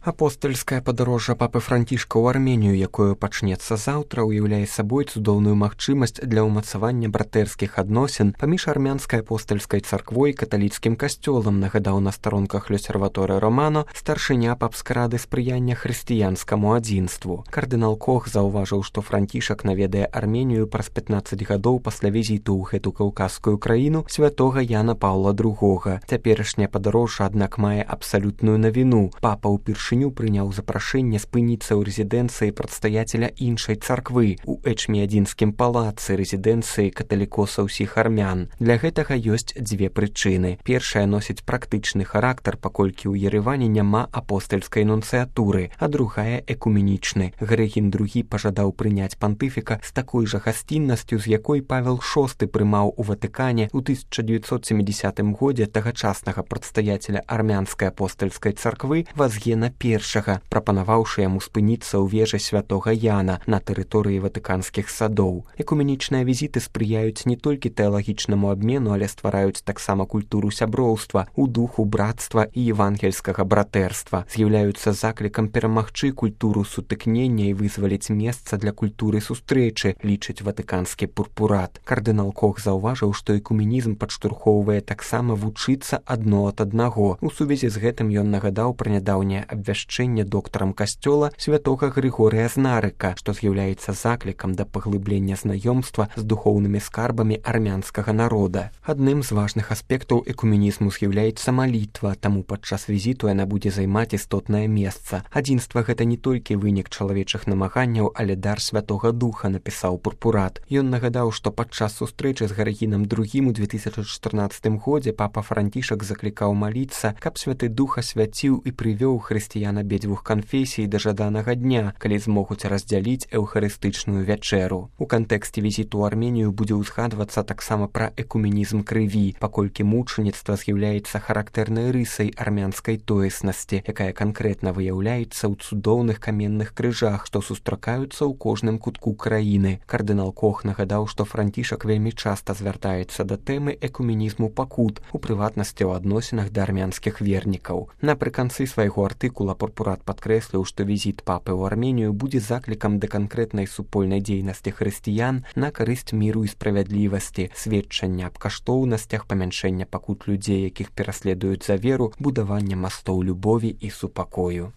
Апостальскае падарожжа папы Францішка ў Арменію, якое пачнецца заўтра, уяўляе сабой цудоўную магчымасць для ўмацавання братэрскіх адносін паміж армянскай апостальскай царквой і каталіцкім касцёлам, нагадаў на старонках Л'Осерваторе Романо старшыня папскай рады спрыяння хрысціянскаму адзінству. Кардынал Кох заўважыў, што Францішак наведае Арменію праз 15 гадоў пасля візіту ў гэту каўказскую краіну святога Яна Паўла II. Цяперашняе падарожжа, аднак, мае абсалютную навіну. Папа ўпершыню прыняў запрашэнне спыніцца ў рэзідэнцыі прадстаяцеля іншай царквы у Эчміядзінскім палацы, рэзідэнцыі каталікоса ўсіх армян. Для гэтага ёсць дзве прычыны. Першая носіць практычны характар, паколькі ў Ереване няма апостальскай нунцыятуры, а другая экуменічны. Грэгін II пажадаў прыняць пантыфіка з такой жа гасціннасцю, з якой Павел VI прымаў у Ватыкане ў 1970 годзе тагачаснага прадстаяцеля армянскай апостальскай царквы Вазгена I, прапанаваўшы яму спыніцца ў вежы святога Яна на тэрыторыі ватыканскіх садоў. Экуменічныя візіты спрыяюць не толькі тэалагічнаму абмену, але ствараюць таксама культуру сяброўства у духу братства і евангельскага братэрства, з'яўляюцца заклікам перамагчы культуру сутыкнення і вызваліць месца для культуры сустрэчы, лічыць ватыканскі пурпурат. Кардынал Кох заўважыў, што экуменізм падштурхоўвае таксама вучыцца адно ад аднаго. У сувязі з гэтым ён нагадаў пра нядаўняе абвяшчэнне доктарам касцёла святога Грыгорыя Знарыка, што з'яўляецца заклікам да паглыблення знаёмства з духоўнымі скарбамі армянскага народа. Адным з важных аспектаў экуменізму з'яўляецца малітва, таму падчас візіту яна будзе займаць істотнае месца. Адзінства гэта не толькі вынік чалавечых намаганняў, але дар святога духа, напісаў пурпурат. Ён нагадаў, што падчас сустрэчы з Грэгінам II у 2014 годзе папа Францішак заклікаў маліцца, каб святы дух асвяціў і прывёў хрысціян абедзвюх канфесій да жаданага дня, калі змогуць раздзяліць эўхарыстычную вячэру. У кантэксце візіту ў Арменію будзе ўзгадвацца таксама пра экуменізм крыві, паколькі мучаніцтва з'яўляецца характэрнай рысай армянскай тоеснасці, якая канкрэтна выяўляецца ў цудоўных каменных крыжах, што сустракаюцца ў кожным кутку краіны. Кардынал Кох нагадаў, што Францішак вельмі часта звяртаецца да тэмы экуменізму пакут, у прыватнасці ў адносінах да армянскіх вернікаў. Напрыканцы свайго артыкула пурпурат падкрэсліў, што візіт папы ў Арменію будзе заклікам да канкрэтнай супольнай дзейнасці хрысціян на карысць міру і справядлівасці, сведчання аб каштоўнасцях памяншэння пакут людзей, якіх пераследуюць за веру, будавання мастоў любові і супакою.